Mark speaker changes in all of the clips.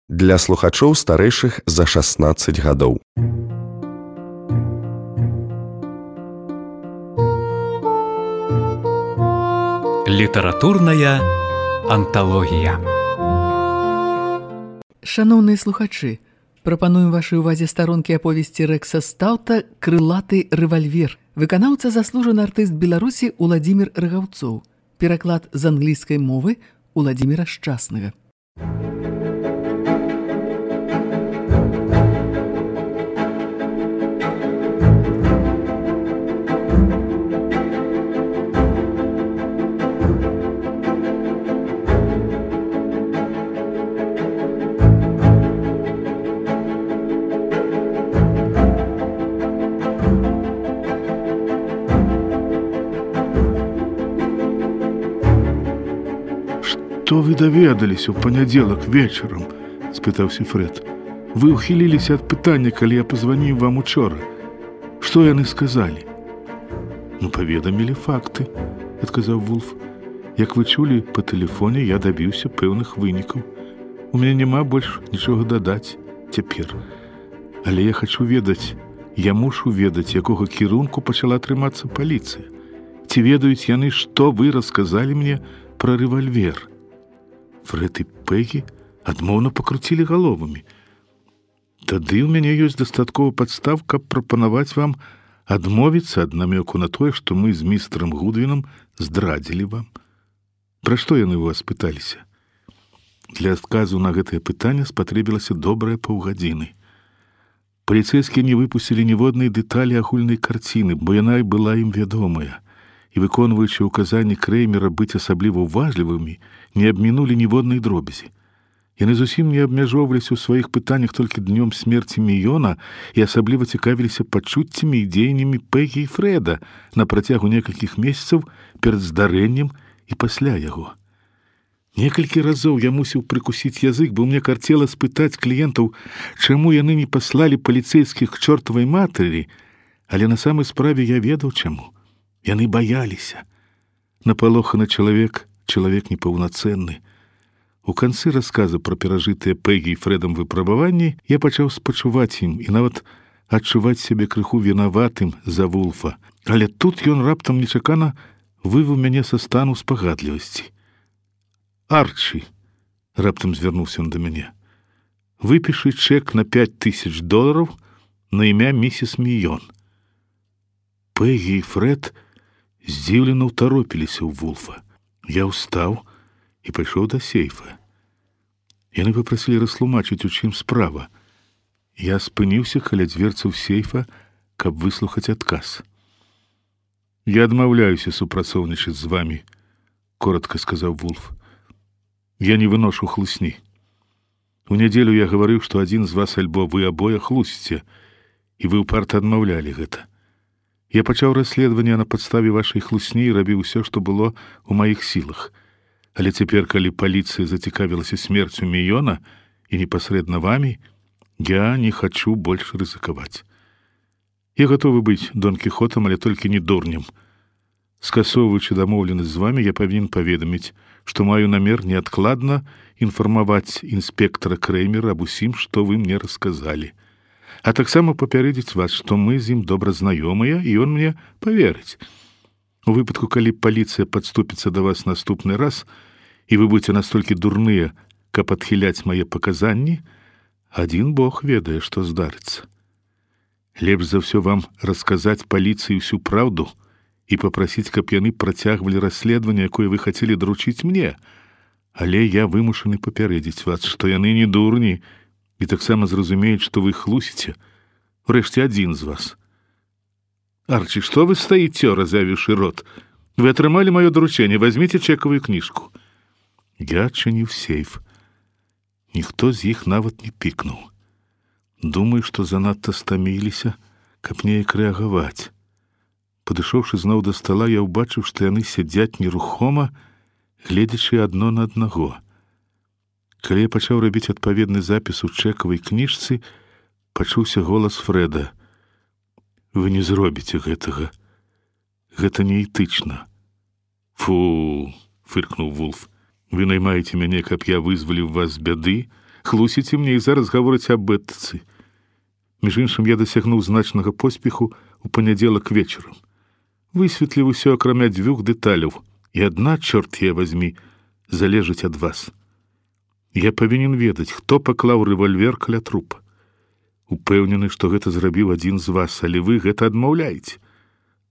Speaker 1: Для слухачоў старэйшых за 16 гадоў.
Speaker 2: Літаратурная анталогія.
Speaker 3: Шаноўныя слухачы, прапануем вашай увазе старонкі аповесці Рэкса Стаўта «Крылаты рэвальвер». Выканаўца заслужаны артыст Беларусі Уладзімір Рагаўцоў. Пераклад з англійскай мовы Уладзіміра Шчаснага.
Speaker 4: «Што вы даведаліся ў панядзелак вечарам?» – спытаўся Фрэд. «Вы ўхіліліся ад пытання, калі я пазваніў вам учора. Што яны сказалі?» «Ну, паведамілі факты», – адказаў Вулф. «Як вы чулі, па тэлефоне я дабіўся пэўных вынікаў. У мяне няма больш нічога дадаць цяпер. Але я хачу ведаць, я мушу ведаць, якога кірунку пачала трымацца паліцыя. Ці ведаюць яны, што вы расказалі мне пра рэвальвер?» Фрэд і Пегі адмоўна пакруцілі галовамі. «Тады ў мяне ёсць дастаткова падстав, каб прапанаваць вам адмовіцца ад намёку на тое, што мы з містэрам Гудвінам здрадзілі вам. Пра што яны ў вас пыталіся?» Для адказу на гэтае пытанне спатрэбілася добрая паўгадзіны. Паліцэйскія не выпусцілі ніводнай дэталі агульнай карціны, бо яна і была ім вядомая. І, выконваючы ўказанні Крэймера быць асабліва ўважлівымі, не абмінулі ніводнай дробязі. Яны зусім не абмяжоўваліся ў сваіх пытаннях толькі днём смерці Міёна і асабліва цікавіліся пачуццямі і дзеяннямі Пегі і Фрэда на працягу некалькіх месяцаў перад здарэннем і пасля яго. Некалькі разоў я мусіў прыкусіць язык, бо мне карцела спытаць кліентаў, чаму яны не паслалі паліцэйскіх к чортавай матері, але на самай справе я ведаў чаму. Яны баяліся. Напалоханы чалавек непаўнацэнны. У канцы расказа пра перажытыя Пегі і Фрэдам выпрабаванні я пачаў спачуваць ім і нават адчуваць сябе крыху вінаватым за Вулфа. Але тут ён раптам нечакана вывеў мяне са стану спагадлівасці. «Арчі», — раптам звярнуўся ён да мяне, — «выпішы чэк на $5000 на імя місіс Міён». Пегі і Фрэд здзіўлена ўтаропіліся ў Вулфа. Я ўстаў і пайшоў да сейфа. Яны папрасілі растлумачыць, у чым справа. Я спыніўся каля дзверцаў сейфа, каб выслухаць адказ. «Я адмаўляюся супрацоўнічаць з вамі», — коротка сказаў Вулф. «Я не выношу хлусні. У нядзелю я гаварыў, што адзін з вас альбо вы абое хлусіце, і вы ўпарта адмаўлялі гэта. Я пачаў расследаванне на падставе вашай хлусні і рабіў усё, што было ў маіх сілах. Але цяпер, калі паліцыя зацікавілася смерцю Міёна і непасрэдна вамі, я не хачу больш рызыкаваць. Я гатовы быць Дон Кіхотам, але толькі не дурнем. Скасоўваючы дамоўленасць з вамі, я павінен паведаміць, што маю намер неадкладна інфармаваць інспектара Крэймера аб усім, што вы мне расказалі. А таксама папярэдзіць вас, што мы з ім добра знаёмыя, і ён мне паверыць. У выпадку, калі паліцыя падступіцца да вас наступны раз, і вы будзеце настолькі дурныя, каб адхіляць мае паказанні, адзін Бог ведае, што здарыцца. Лепш за ўсё вам расказаць паліцыі ўсю праўду і папрасіць, каб яны працягвалі расследаванне, якое вы хацелі даручыць мне. Але я вымушаны папярэдзіць вас, што яны не дурні, і таксама зразумеюць, што вы хлусіце, урэшце адзін з вас. Арчі, што вы стаіце, разявіўшы рот? Вы атрымалі маё даручэнне, вазьміце чэкавую кніжку». Я адчыніў сейф. Ніхто з іх нават не пікнуў. Думаю, што занадта стаміліся, каб неяк рэагаваць. Падышоўшы зноў да стала, я ўбачыў, што яны сядзяць нерухома, гледзячы адно на аднаго. Калі я пачаў рабіць адпаведны запіс у чэкавай кніжцы, пачуўся голас Фрэда. «Вы не зробіце гэтага. Гэта неэтычна». «Фу», — фыркнуў Вулф. «Вы наймаеце мяне, каб я вызваліў вас з бяды, хлусіце мне і зараз гаворыць аб этыцы. Між іншым, я дасягнуў значнага поспеху у панядзелак вечарам. Высветліў усё акрамя 2 дэталяў, і адна, чорт я вазьмі, залежыць ад вас. Я павінен ведаць, хто паклаў рэвальвер каля трупа. Упэўнены, што гэта зрабіў адзін з вас, але вы гэта адмаўляеце.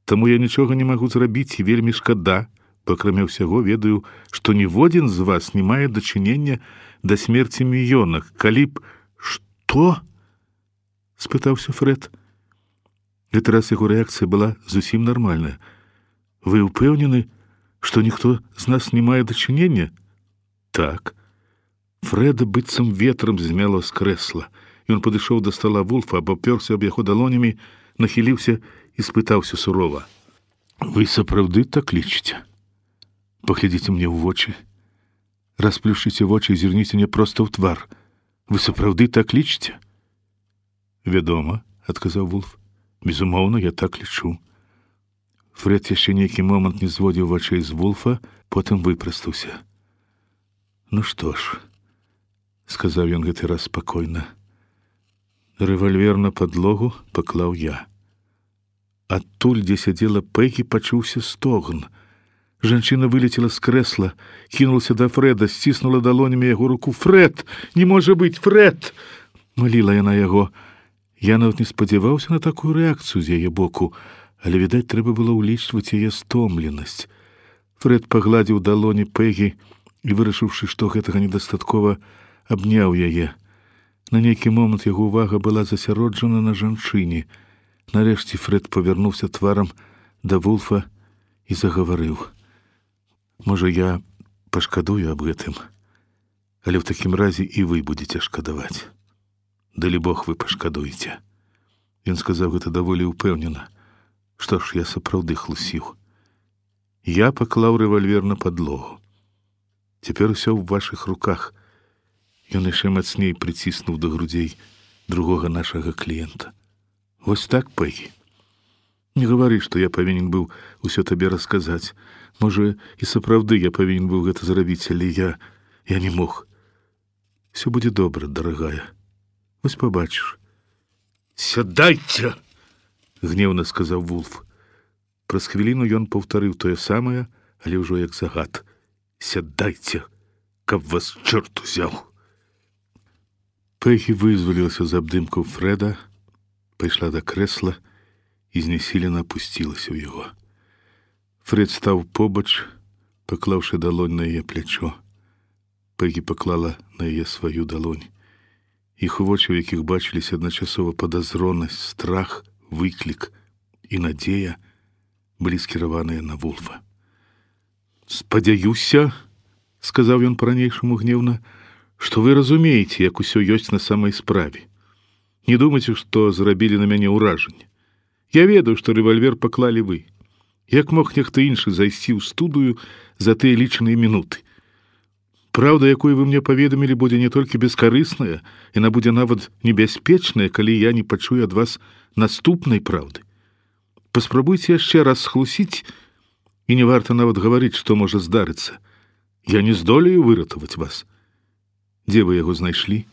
Speaker 4: Таму я нічога не магу зрабіць і вельмі шкада, бо акрамя ўсяго ведаю, што ніводзін з вас не мае дачынення да смерці Міёна. Калі б... Што? Спытаўся Фред. Гэты раз яго рэакцыя была зусім нармальная. Вы упэўнены, што ніхто з нас не мае дачынення? Так. Фрэда быццам ветрам змяло з крэсла. Ён падышоў да стала Вулфа, абапёрся аб яго далонямі, нахіліўся і спытаўся сурова. Вы сапраўды так лічыце? Паглядзіце мне ў вочы. Расплюшчыце вочы і зірніце мне проста ў твар. Вы сапраўды так лічыце? Вядома, адказаў Вулф. Безумоўна, я так лічу. Фред яшчэ нейкі момант не зводзіў вачэй з Вулфа, потым выпрастаўся. Ну што ж, сказаў ён гэты раз спакойна. Рэвальвер на падлогу паклаў я. Адтуль, дзе сядзела Пэгі, пачуўся стогн. Жанчына вылецела з крэсла, кінулася да Фрэда, сціснула далонямі яго руку. Фред! Не можа быць, Фред! Маліла яна яго. Я нават не спадзяваўся на такую рэакцыю з яе боку, але, відаць, трэба было ўлічваць яе стомленасць. Фред пагладзіў далоні Пэгі і, вырашыўшы, што гэтага недастаткова, абняў яе. На нейкі момант яго ўвага была засяроджана на жанчыне. Нарэшце Фред павярнуўся тварам да Вулфа і загаварыў. Можа, я пашкадую аб гэтым, але ў такім разе і вы будзеце шкадаваць. Далі Бог, вы пашкадуеце. Ён сказаў гэта даволі ўпэўнена. Што ж, я сапраўды хлусіў. Я паклаў рэвальвер на падлогу. Цяпер усё ў вашых руках. Ён яшчэ мацней прыціснуў да грудзей другога нашага кліента. Вось так, Пэгі. Не гавары, што я павінен быў усё табе расказаць. Можа, і сапраўды я павінен быў гэта зрабіць, але я не мог. Всё будзе добра, дарагая. Вось пабачыш. Сядайце! Гневна сказаў Вулф. Праз хвіліну ён паўтарыў тое самае, але ўжо як загад. Сядайце, каб вас чорт узяў. Пэгі вызвалілася з абдымкаў Фрэда, пайшла да крэсла і знясілена апусцілася ў яго. Фред стаў побач, паклаўшы далонь на яе плячо. Пэгі паклала на яе сваю далонь. Іх вочы, у якіх бачыліся адначасова падазронасць, страх, выклік і надзея, былі скіраваныя на Вулфа. «Спадзяюся, — сказаў ён па-ранейшаму гневна, — што вы разумееце, як усё ёсць на самай справе. Не думайце, што зрабілі на мяне ўражанне. Я ведаю, што рэвальвер паклалі вы. Як мог нехта іншы зайсці ў студыю за тыя лічаныя мінуты? Праўда, якую вы мне паведамілі, будзе не толькі бескарысная, яна будзе нават небяспечная, калі я не пачую ад вас наступнай праўды. Паспрабуйце яшчэ раз схлусіць, і не варта нават гаварыць, што можа здарыцца. Я не здолею выратаваць вас. Дзе вы яго знайшлі?»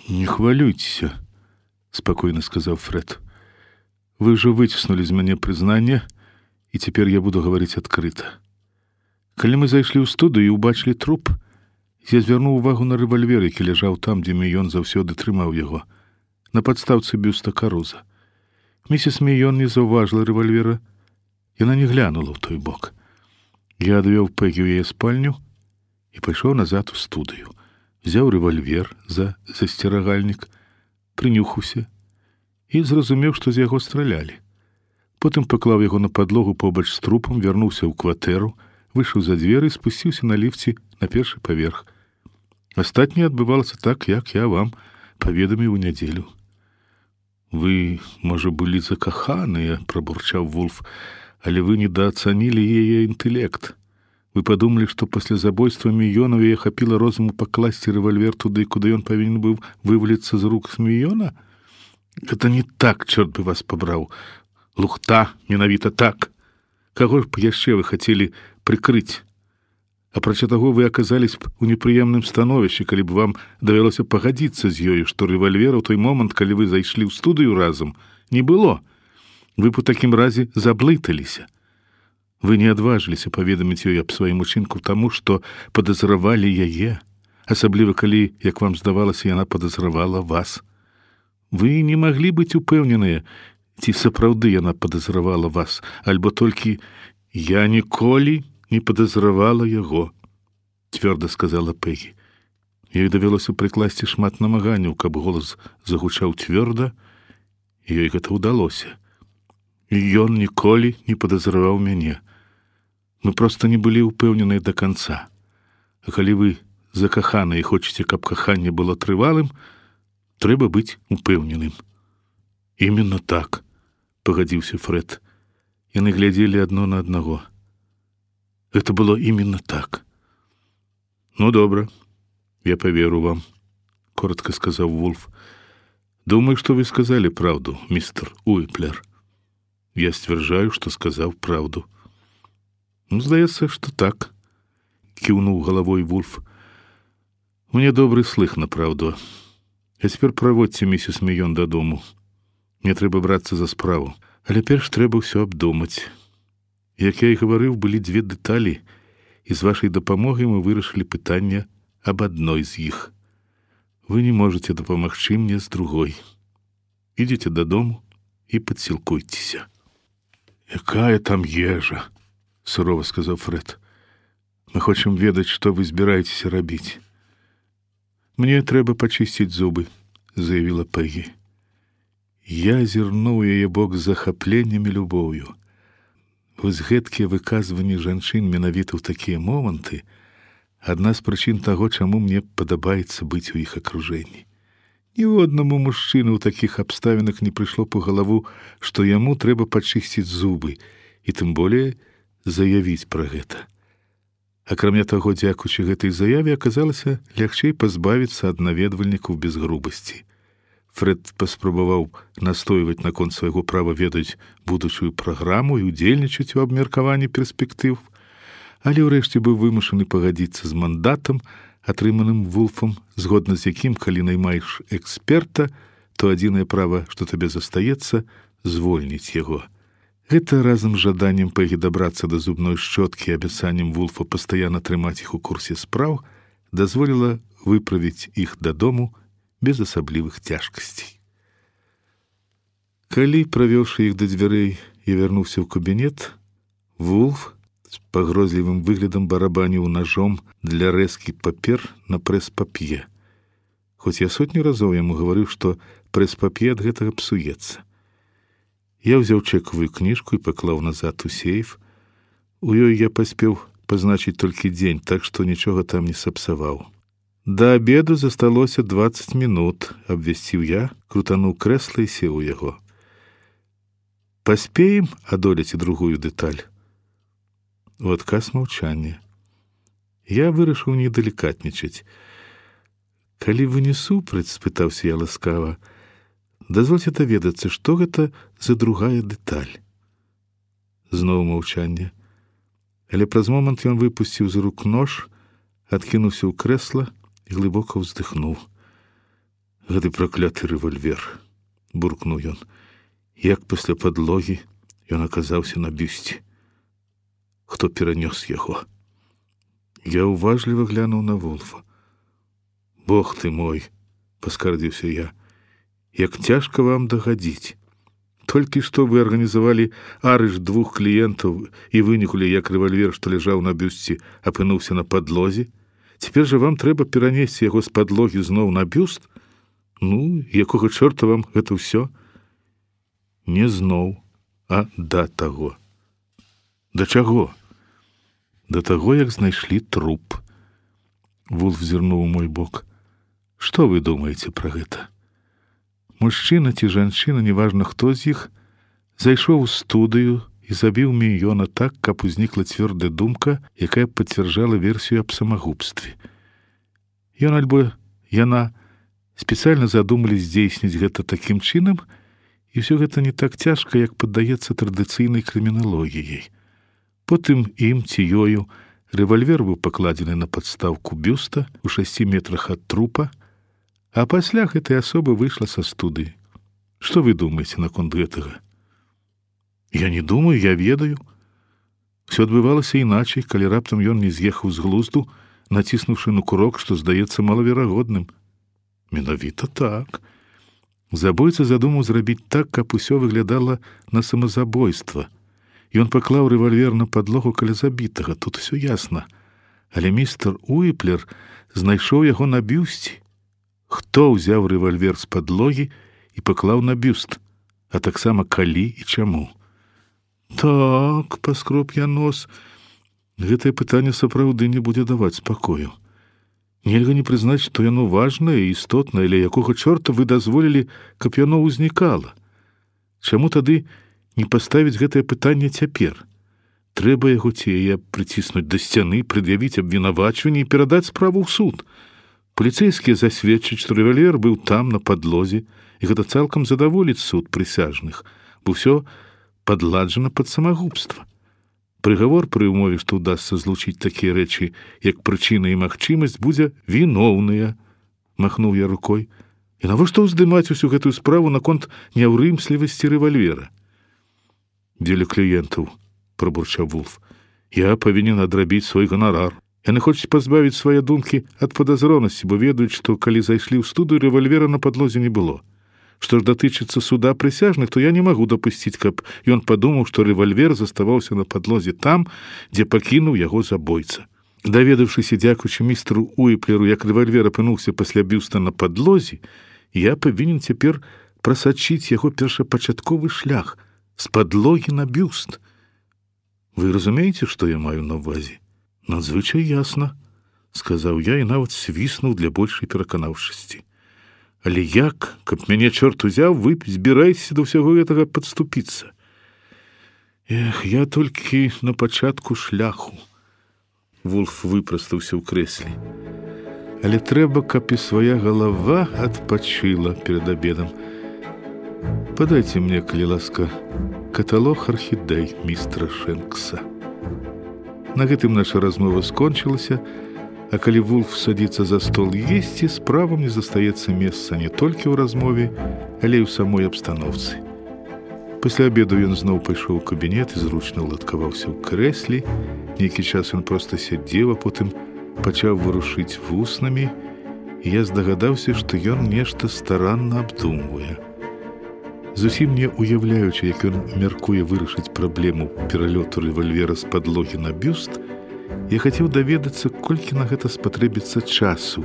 Speaker 4: «Не хвалюйцеся, — спакойна сказаў Фред. Вы ўжо выціснулі з мяне прызнанне, і цяпер я буду гаварыць адкрыта. Калі мы зайшлі ў студыю і ўбачылі труп, я звярнуў увагу на рэвальвер, які ляжаў там, дзе Міён заўсёды трымаў яго, на падстаўцы бюста Каруза. Місіс Міён не заўважыла рэвальвера, яна не глянула ў той бок. Я адвёў Пэгі ў яе спальню і пайшоў назад у студыю. Взяў рэвальвер за засцерагальнік, прынюхаўся і зразумеў, што з яго стралялі. Потым паклаў яго на падлогу побач з трупам, вярнуўся ў кватэру, выйшаў за дзверы і спусціўся на ліфце на першы паверх. Астатняе адбывалася так, як я вам паведаміў у нядзелю. «Вы, можа, былі закаханыя, — прабурчаў Вулф, — але вы недаацанілі яе інтэлект. Вы падумалі, што пасля забойства Міёна яе хапіла розуму пакласці рэвальвер туды, куды ён павінен быў вываліцца з рук з Міёна? Гэта не так, чорт бы вас пабраў. Лухта, менавіта так. Каго ж яшчэ вы хацелі прыкрыць? Апрача таго, вы аказались б у непрыемным становішчы, калі б вам давялося пагадзіцца з ёю, што рэвальвера ў той момант, калі вы зайшлі ў студыю разам, не было. Вы б у такім разе заблыталіся. Вы не адважыліся паведаміць ёй аб сваім учынку таму, што падазравалі яе, асабліва калі, як вам здавалася, яна падазравала вас. Вы не маглі быць упэўненыя, ці сапраўды яна падазравала вас, альбо толькі «я ніколі не падазравала яго», цвёрда сказала Пегі. Ёй давялося прыкласці шмат намаганняў, каб голас загучаў цвёрда, і ёй гэта ўдалося. І ён ніколі не падазраваў мяне. Мы проста не былі ўпэўненыя да канца. А калі вы закаханыя і хочаце, каб каханне было трывалым, трэба быць упэўненым. Именно так, пагадзіўся Фред. Яны глядзелі адно на аднаго. Это было именно так. Ну, добра, я поверу вам, коротко сказал Вулф. Думаю, что вы сказали правду, мистер Уиплер. Я стверджаю, что сказал правду. Ну, здаецца, что так, кивнул головой Вулф. Мне добрый слых на правду. А теперь проводьте миссис Мейон до дому. Мне трэба брацца за справу. Але перш трэба ўсё абдумаць. Як я і гаварыў, былі дзве дэталі, і з вашай дапамогай мы вырашылі пытанне аб адной з іх. Вы не можаце дапамагчы мне з другой. Ідзіце дадому і падсілкуйцеся. Якая там ежа, сурова сказаў Фред. Мы хочам ведаць, што вы збіраецеся рабіць. Мне трэба пачысціць зубы, заявіла Пегі. Я азірнуў яе бок з захапленнем і любоўю. Вось гэткія выказванні жанчын менавіта ў такія моманты адна з прычын таго, чаму мне падабаецца быць у іх акружэнні. Ні однаму мужчыну ў такіх абставінах не прыйшло па галаву, што яму трэба пачысціць зубы і тым болей заявіць пра гэта. Акрамя таго, дзякуючы гэтай заяве аказалася лягчэй пазбавіцца ад наведвальнікаў без грубасці. Фред паспрабаваў настойваць наконт свайго права ведаць будучую праграму і удзельнічаць у абмеркаванні перспектыў, але ўрэшце быў вымушаны пагадзіцца з мандатам, атрыманым Вулфам, згодна з якім, калі наймаеш эксперта, то адзінае права, што табе застаецца, звольніць яго. Гэта разам з жаданнем Пегі дабрацца да зубной шчоткі і абяцаннем Вулфа пастаянна трымаць іх у курсе спраў, дазволіла выправіць іх дадому без асаблівых цяжкасцей. Калі, правёўшы іх да дзвярэй, я вярнуўся ў кабінет, Вулф з пагрозлівым выглядам барабаніў нажом для рэзкі папер на прэс-пап'е. Хоць я сотню разоў яму гаварыў, што прэс-пап'е ад гэтага псуецца. Я ўзяў чэкавую кніжку і паклаў назад у сейф. У ёй я паспеў пазначыць толькі дзень, так што нічога там не сапсаваў. Да обеду засталося 20 минут, абвясціў я, крутануў крэсла і сеў у яго. Паспеем адолець і другую дэталь. У адказ маўчанне. Я вырашыў не далікатнічаць. Калі вы не супраць, спытаўся я ласкава, дазвольце даведацца, што гэта за другая дэталь. Зноў маўчанне. Але праз момант ён выпусціў з рук нож, адкінуўся ў крэсла і глыбока ўздыхнуў. Гэты пракляты рэвальвер, буркнуў ён. Як пасля падлогі ён аказаўся на бюсце. Хто перанёс яго? Я уважліва глянуў на Вулфа. Бог ты мой, паскардзіўся я. Як цяжка вам дагадзіць. Толькі што вы арганізавалі арыш 2 кліентаў і вынюхалі, як рэвальвер, што ляжаў на бюсце, апынуўся на падлозе. Цяпер жа вам трэба перанесці яго з падлогі зноў на бюст? Ну, якога чорта вам гэта ўсё? Не зноў, а да таго. Да чаго? Да таго, як знайшлі труп. Вулф зірнуў у мой бок. Што вы думаеце пра гэта? Мужчына ці жанчына, неважна хто з іх, зайшоў у студыю і забіў Мейона так, каб узнікла цвёрдая думка, якая пацвярджала версію аб самагубстве. Ён альбо яна спецыяльна задумалі здзейсніць гэта такім чынам, і ўсё гэта не так цяжка, як паддаецца традыцыйнай крыміналогіяй. Потым ім ці ёю Рэвальвер быў пакладзены на падстаўку бюста ў 6 метрах ад трупа, а пасля гэтай асоба выйшла са студыі. Што вы думаеце наконт гэтага? Я не думаю, я ведаю. Все адбывалася іначай, калі раптам ён не з'ехаў з глузду, націснуўшы на курок, што здаецца малаверагодным. Менавіта так. Забойца задумаў зрабіць так, каб усё выглядала на самазабойства. Ён паклаў рэвальвер на падлогу каля забітага, тут усё ясна. Але містер Уіплер знайшоў яго на бюсце. Хто ўзяў рэвальвер з падлогі і паклаў на бюст, а таксама калі і чаму? Так, паскроб я нос. Гэтае пытанне сапраўды не будзе даваць спакою. Нельга не прызнаць, што яно важнае і істотнае, але якога чорта вы дазволілі, каб яно ўзнікала? Чаму тады не паставіць гэтае пытанне цяпер? Трэба яго ці яе прыціснуць да сцяны, прад'явіць абвінавачванне і перадаць справу ў суд. Паліцэйскія засведчаць, што рэвальвер быў там, на падлозе, і гэта цалкам задаволіць суд прысяжных, бо ўсё падладжана пад самагубства. Прыгавор пры ўмове, што ўдасца злучыць такія рэчы, як прычына і магчымасць, будзе віноўныя, махнуў я рукой. І навошта ўздымаць усю гэтую справу наконт няўрымслівасці рэвальвера? Дзеля кліентаў, прабурчаў Вулф. Я павінен адрабіць свой ганарар. Яны хочуць пазбавіць свае думкі ад падазронасці, бо ведаюць, што калі зайшлі ў студыю, рэвальвера на падлозе не было. Што ж датычыцца суда прысяжных, то я не магу дапусціць, каб ён падумаў, што рэвальвер заставаўся на падлозе там, дзе пакінуў яго забойца. Даведаўшыся, дзякуючы містеру Уіплеру, як рэвальвер апынуўся пасля бюста на падлозе, я павінен цяпер прасачыць яго першапачатковы шлях з падлогі на бюст. Вы разумееце, што я маю на ўвазе? Надзвычай ясна, сказаў я і нават свіснуў для большай пераканаўчасці. Але як, каб мяне чорт узяў, вы збіраецеся да ўсяго гэтага падступіцца? Эх, я толькі на пачатку шляху. Вулф выпрастаўся ў крэсле. Але трэба, каб і свая галава адпачыла перад абедам. Падайце мне, калі ласка, каталог архідэй містера Шэнкса. На гэтым наша размова скончылася, а калі Вулф садзіцца за стол есці, справам не застаецца месца не толькі ў размове, але і ў самой абстаноўцы. Пасля абеду ён зноў пайшоў у кабінет і зручна ўладкаваўся ў крэсле. Нейкі час ён проста сядзеў, а потым пачаў варушыць вуснамі, і я здагадаўся, што ён нешта старанна абдумвае. Зусім не уяўляючы, як ён мяркуе вырашыць праблему пералёту рэвальвера з падлогі на бюст, я хацеў даведацца, колькі на гэта спатрэбіцца часу,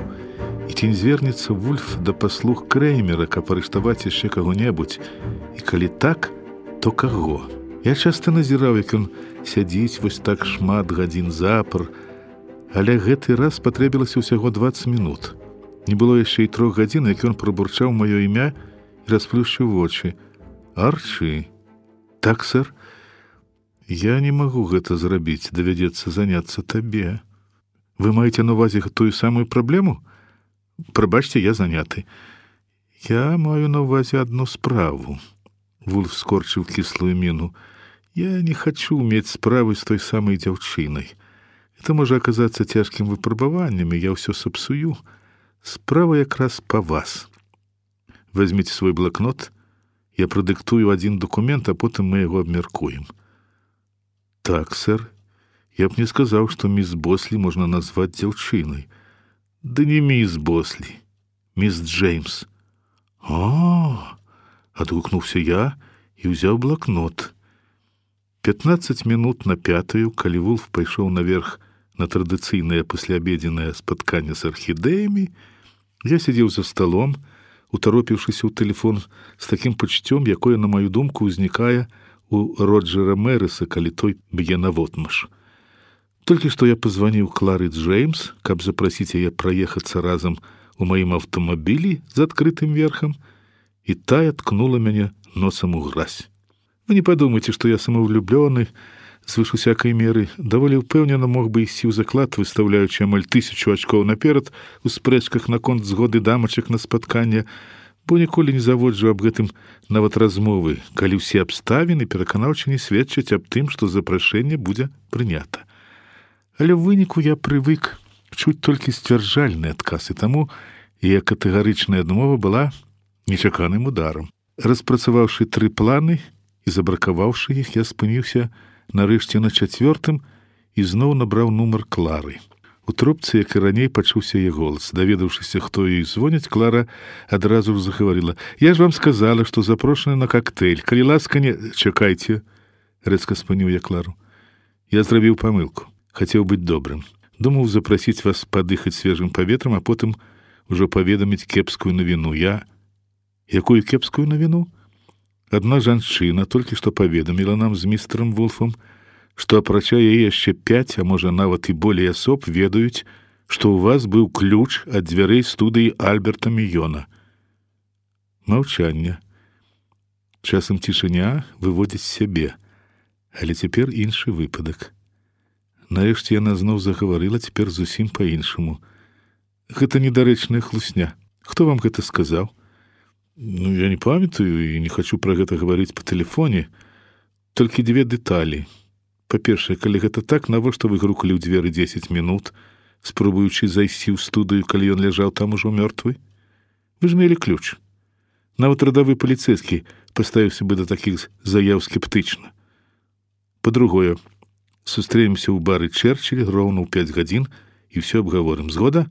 Speaker 4: і ці не звернецца Вульф да паслуг Крэймера, каб арыштаваць яшчэ каго-небудзь, і калі так, то каго? Я часта назіраў, як ён сядзіць вось так шмат гадзін запар, але гэты раз патрэбілася ўсяго 20 мінут. Не было яшчэ і 3 гадзін, як ён прабурчаў маё імя і расплюшчыў вочы. Арчі? Так, сэр? Я не магу гэта зрабіць, давядзецца заняцца табе. Вы маеце на ўвазе тую самую праблему? Прабачце, я заняты. Я маю на ўвазе адну справу. Вулф скорчыў кіслую міну. Я не хачу мець справы з той самай дзяўчынай. Это можа аказацца цяжкім выпрабаваннем, і я ўсё сапсую. Справа якраз па вас. Вазьміце свой блакнот, я прадыктую адзін дакумент, а потым мы яго абмяркуем. Так, сэр, я б не сказаў, што міс Бослі можна назваць дзяўчынай. Да не міс Бослі, міс Джеймс. О, адгукнуўся я і ўзяў блакнот. 15 минут на 5, калі Вулф пайшоў наверх на традыцыйнае пасляабедзенае спатканне з архідэямі, я сядзеў за сталом, утаропіўшыся ў тэлефон з такім пачуццём, якое, на маю думку, узнікае у Роджера Мэрыса, калі той б'е наводмаш. Толькі што я пазваніў Клары Джеймс, каб запрасіць яе праехацца разам у маім аўтамабілі з адкрытым верхам, і тая ткнула мяне носам у гразь. Вы не падумайце, што я самаўлюблёны, звыш усякай меры, даволі ўпэўнена мог бы ісці ў заклад, выстаўляючы амаль 1000 ачкоў наперад у спрэчках наконт згоды дамачак на спатканне, бо ніколі не заводжу аб гэтым нават размовы, калі ўсе абставіны пераканаўча не сведчаць аб тым, што запрашэнне будзе прынята. Але ў выніку я прывык чуць толькі сцвярджальны адказ, і таму яе катэгарычная адмова была нечаканым ударам. Распрацаваўшы 3 планы і забракаваўшы іх, я спыніўся нарэшце на 4-м і зноў набраў нумар Клары. У трубцы, як і раней, пачуўся яе голас. Даведаўшыся, хто ёй звоніць, Клара адразу ж загаварыла: «Я ж вам сказала, што запрошаны на коктейль. Калі ласка, не... Чакайце», — рэзка спыніў я Клару. «Я зрабіў памылку. Хацеў быць добрым. Думаў запрасіць вас падыхаць свежым паветрам, а потым ужо паведаміць кепскую навіну. Я... Якую кепскую навіну? Адна жанчына толькі што паведаміла нам з містерам Вулфам, што апрача яе яшчэ 5, а можа нават і болей асоб ведаюць, што ў вас быў ключ ад дзвярэй студыі Альберта Міёна». Маўчанне. Часам цішыня выводзіць сябе, але цяпер іншы выпадак. Нарэшце яна зноў загаварыла, цяпер зусім па-іншаму. «Гэта недарэчная хлусня. Хто вам гэта сказаў?» «Ну, я не памятаю і не хачу пра гэта гаварыць па тэлефоне. Толькі 2 дэталі. Па-першае, калі гэта так, навошта вы грукалі ў дзверы 10 мінут, спробуючы зайсці ў студыю, калі ён ляжаў там ужо мёртвы? Вы ж мелі ключ. Нават радавы паліцэйскі паставіўся бы да такіх заяў скептычна. Па-другое, сустрэнемся ў бары Чэрчыль роўна ў 5 гадзін і ўсё абгаворым. Згода?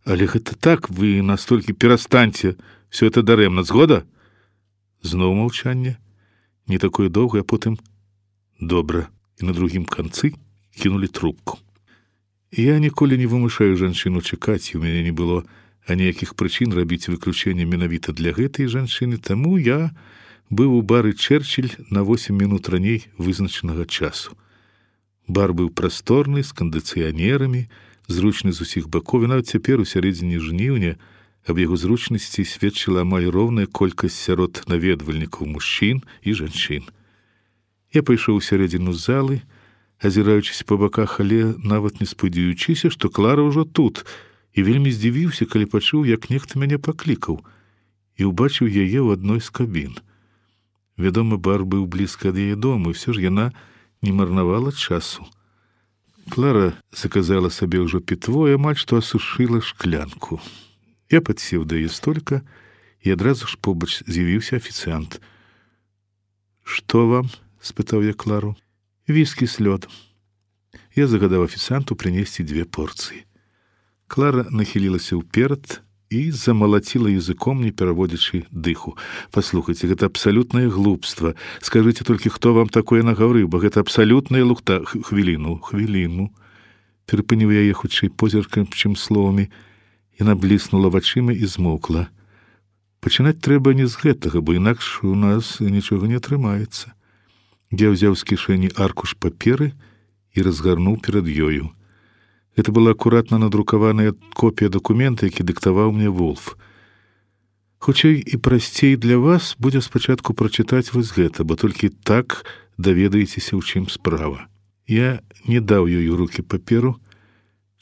Speaker 4: Але гэта так, вы настолькі перастаньце, всё это дарэмна. Згода?» Зноў маўчанне. Не такое доўгае, а потым «добра». І на другім канцы кінулі трубку. Я ніколі не вымушаю жанчыну чакаць, і ў мяне не было аніякіх прычын рабіць выключэнне менавіта для гэтай жанчыны, таму я быў у бары Чэрчыль на 8 мінут раней вызначанага часу. Бар быў прасторны, з кандыцыянерамі, зручны з усіх бакоў, і нават цяпер у сярэдзіне жніўня аб яго зручнасці сведчыла амаль роўная колькасць сярод наведвальнікаў мужчын і жанчын. Я пайшоў у сярэдзіну залы, азіраючыся па баках, але нават не спадзяючыся, што Клара ўжо тут, і вельмі здзівіўся, калі пачуў, як нехта мяне паклікаў, і ўбачыў яе ў адной з кабін. Вядома, бар быў блізка ад яе дому, і ўсё ж яна не марнавала часу. Клара заказала сабе ўжо пітво і амаль што асушыла шклянку. Я падсеў да яе столька, і адразу ж побач з'явіўся афіцыант. «Што вам?» — спытаў я Клару. «Віскі з лёдам». Я загадаў афіцыанту прынесці 2 порцыі. Клара нахілілася ўперад і замалаціла языком, не пераводзячы дыху. «Паслухайце, гэта абсалютнае глупства. Скажыце толькі, хто вам такое нагаварыў, бо гэта абсалютная лухта». Хвіліну. Перапыніў яе хутчэй позіркам, чым словамі. Яна бліснула вачыма і змоўкла. «Пачынаць трэба не з гэтага, бо інакш у нас нічога не атрымаецца». Я ўзяў з кішэні аркуш паперы і разгарнуў перад ёю. Гэта была акуратна надрукаваная копія дакумента, які дыктаваў мне Вулф. «Хутчэй і прасцей для вас будзе спачатку прачытаць вось гэта, бо толькі так даведаецеся, ў чым справа». Я не даў ёй у рукі паперу.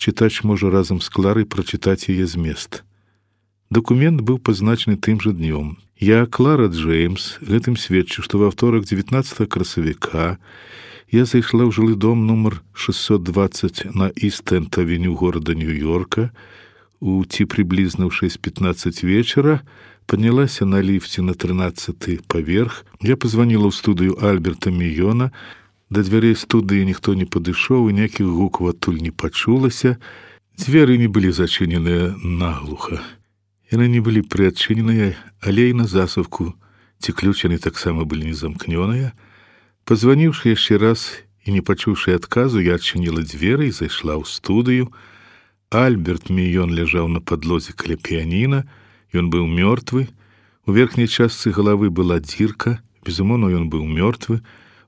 Speaker 4: Чытач можа разам з Кларай прачытаць яе змест. Дакумент быў пазначаны тым жа днём. Я, Клара Джеймс, гэтым сведчу, што ва ўторак 19 красавіка я зайшла ў жылы дом нумар 620 на Іст-Энд-авеню горада Нью-Йорка ці прыблізна ў 6:15 вечара, паднялася на ліфце на 13-й паверх. Я пазваніла ў студыю Альберта Міёна. Да дзвярэй студыі ніхто не падышоў, і ніякіх гукаў адтуль не пачулася. Дзверы не былі зачыненыя наглуха. Яны не былі прыадчыненыя, але і на засувку, ці ключ яны таксама былі не замкнёныя. Пазваніўшы яшчэ раз і не пачуўшы адказу, я адчыніла дзверы і зайшла ў студыю. Альберт Міён ляжаў на падлозе каля піяніна, ён быў мёртвы. У верхняй частцы галавы была дзірка, безумоўна, ён быў мёртвы.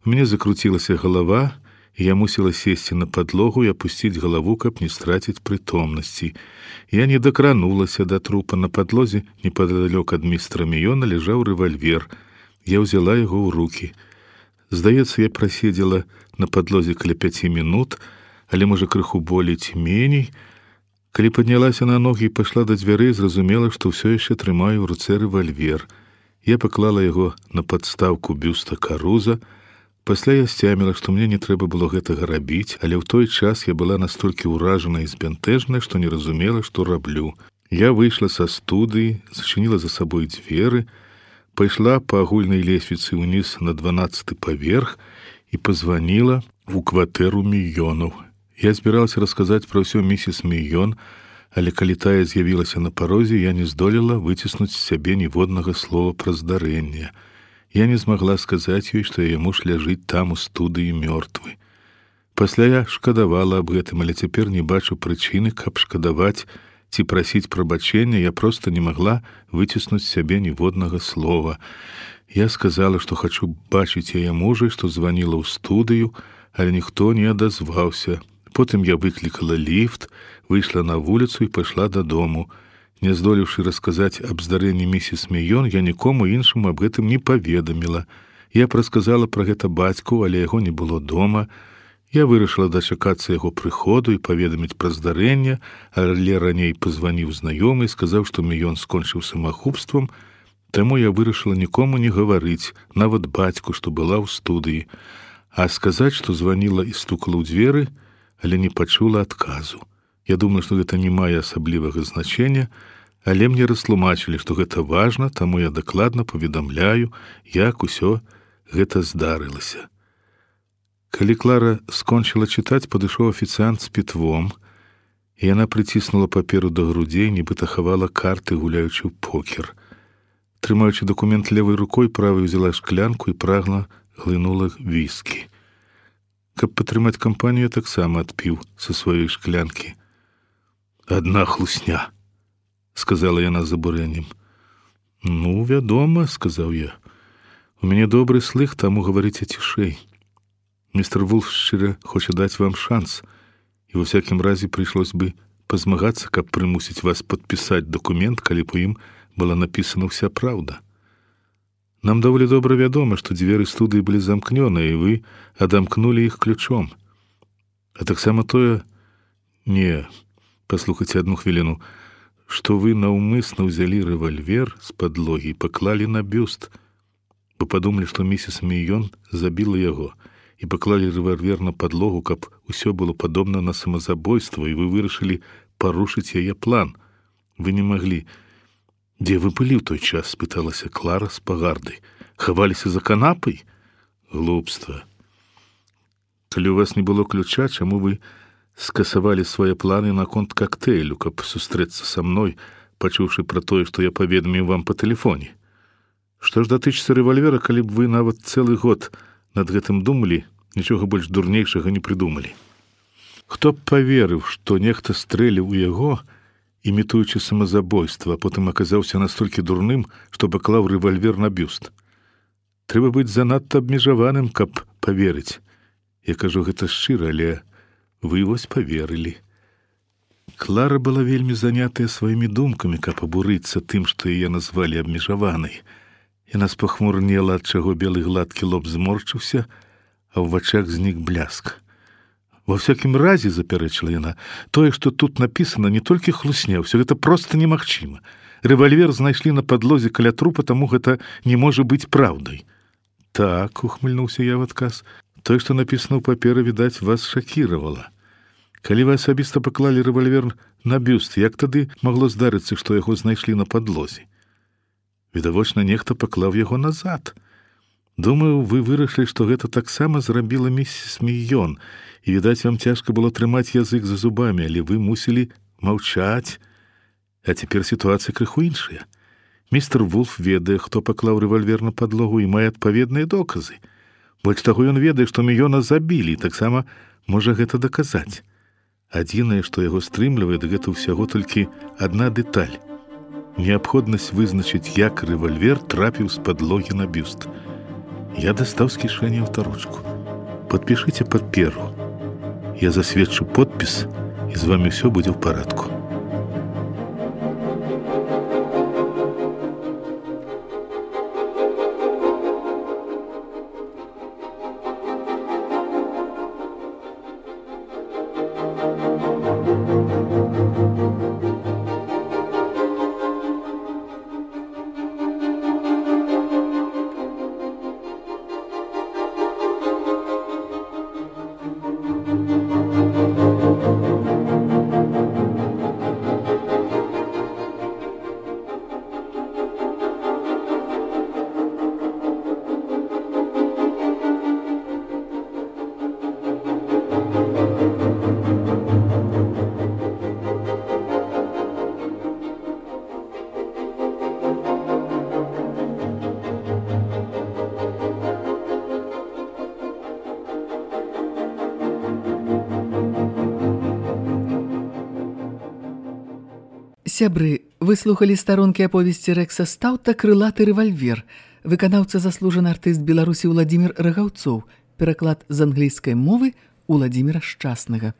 Speaker 4: У мяне закруцілася галава, і я мусіла сесці на падлогу і апусціць галаву, каб не страціць прытомнасці. Я не дакранулася да трупа. На падлозе, непадалёк ад містера Міёна, ляжаў рэвальвер. Я ўзяла яго ў рукі. Здаецца, я праседзела на падлозе каля 5 мінут, але, можа, крыху болей ці меней. Калі паднялася на ногі і пайшла да дзвярэй, зразумела, што ўсё яшчэ трымаю ў руцэ рэвальвер. Я паклала яго на падстаўку бюста Каруза, Пасля я сцяміла, што мне не трэба было гэтага рабіць, але ў той час я была настолькі ўражана і збянтэжная, што не разумела, што раблю. Я выйшла са студыі, зачыніла за сабой дзверы, пайшла па агульнай лесвіцы ўніз на 12-й паверх і пазваніла ў кватэру Мільёнаў. Я збіралася расказаць пра ўсё місіс Мільён, але калі тая з'явілася на парозе, я не здолела выціснуць з сябе ніводнага слова пра здарэнне. Я не змагла сказаць ёй, што яе муж ляжыць там у студыі мёртвы. Пасля я шкадавала аб гэтым, але цяпер не бачу прычыны, каб шкадаваць ці прасіць прабачэння, я проста не магла выціснуць з сябе ніводнага слова. Я сказала, што хачу бачыць яе мужа, што званіла ў студыю, але ніхто не адазваўся. Потым я выклікала ліфт, выйшла на вуліцу і пайшла дадому. Не здолеўшы расказаць аб здарэнні місіс Мільён, я нікому іншаму аб гэтым не паведаміла. Я прасказала пра гэта бацьку, але яго не было дома. Я вырашыла дачакацца яго прыходу і паведаміць пра здарэнне, але раней пазваніў знаёмы і сказаў, што Мільён скончыў самагубствам, таму я вырашыла нікому не гаварыць, нават бацьку, што была ў студыі. А сказаць, што званіла і стукала ў дзверы, але не пачула адказу. Я думаю, што гэта не мае асаблівага значення, але мне растлумачылі, што гэта важна, таму я дакладна паведамляю, як усё гэта здарылася. Калі Клара скончыла чытаць, падышоў афіцыант з пітвом, і яна прыціснула паперу да грудзей, нібыта хавала карты, гуляючы ў покер. Трымаючы дакумент левай рукой, правай узяла шклянку і прагла глынула віскі. Каб падтрымаць кампанію, таксама адпіў са сваёй шклянкі. «Адна хлусня», — сказала яна з абурэннем. «Ну, вядома», — сказаў я. «У мяне добры слых, таму гаварыце цішэй. Містер Вулф шчыра хоча даць вам шанс, і ва всякім разе прыйшлось бы пазмагацца, каб прымусіць вас падпісаць дакумент, калі б у ім была напісана ўся праўда. Нам даволі добра вядома, што дзверы студыі былі замкнёныя, і вы адамкнулі іх ключом. А таксама тое... Не, паслухайце адну хвіліну, што вы наўмысна ўзялі рэвальвер з падлогі і паклалі на бюст. Вы падумалі, што місіс Мільён забіла яго, і паклалі рэвальвер на падлогу, каб усё было падобна на самазабойства, і вы вырашылі парушыць яе план. Вы не маглі... «Дзе вы былі ў той час?» — спыталася Клара з пагарды. «Хаваліся за канапай?» «Глупства. Калі у вас не было ключа, чаму вы скасавалі свае планы наконт кактэйлю, каб сустрэцца са мной, пачуўшы пра тое, што я паведаміў вам па тэлефоне? Што ж датычыцца рэвальвера, калі б вы нават цэлы год над гэтым думалі, нічога больш дурнейшага не прыдумалі? Хто б паверыў, што нехта стрэліў у яго, імітуючы самазабойства, а потым аказаўся настолькі дурным, што паклаў рэвальвер на бюст? Трэба быць занадта абмежаваным, каб паверыць. Я кажу гэта шчыра, але вы вось паверылі». Клара была вельмі занятая сваімі думкамі, каб абурыцца тым, што яе назвалі абмежаванай. Яна спахмурнела, ад чаго белы гладкі лоб зморшчыўся, а ў вачах знік бляск. «Во всякім разе, — запярэчыла яна, — тое, што тут напісана, не толькі хлусня, ўсё гэта проста немагчыма. Рэвальвер знайшлі на падлозе каля трупа, таму гэта не можа быць праўдай». «Так, — ухмыльнуўся я в адказ, — тое, што напісана ў паперы, відаць, вас шакіравала. Калі вы асабіста паклалі рэвальвер на бюст, як тады магло здарыцца, што яго знайшлі на падлозе? Відавочна, нехта паклаў яго назад. Думаю, вы вырашылі, што гэта таксама зрабіла місіс Мільён, і, відаць, вам цяжка было трымаць язык за зубамі, але вы мусілі маўчаць. А цяпер сітуацыя крыху іншая. Містер Вулф ведае, хто паклаў рэвальвер на падлогу і мае адпаведныя доказы. Больш таго, ён ведае, што Мільёна забілі, і таксама можа гэта даказаць. Адзінае, што яго стрымлівае, гэта ўсяго толькі адна дэталь. Неабходнасць вызначыць, як рэвальвер трапіў з падлогі на бюст. Я дастаў з кішэні аўтаручку. Падпішыце паперу. Я засведчу подпіс, і з вамі ўсё будзе ў парадку.
Speaker 3: Сябры, выслухалі старонкі аповесці Рэкса Стаўта «Крылаты рэвальвер», выканаўца заслужаны артыст Беларусі Уладзімір Рагаўцоў, пераклад з англійскай мовы Уладзіміра Шчаснага.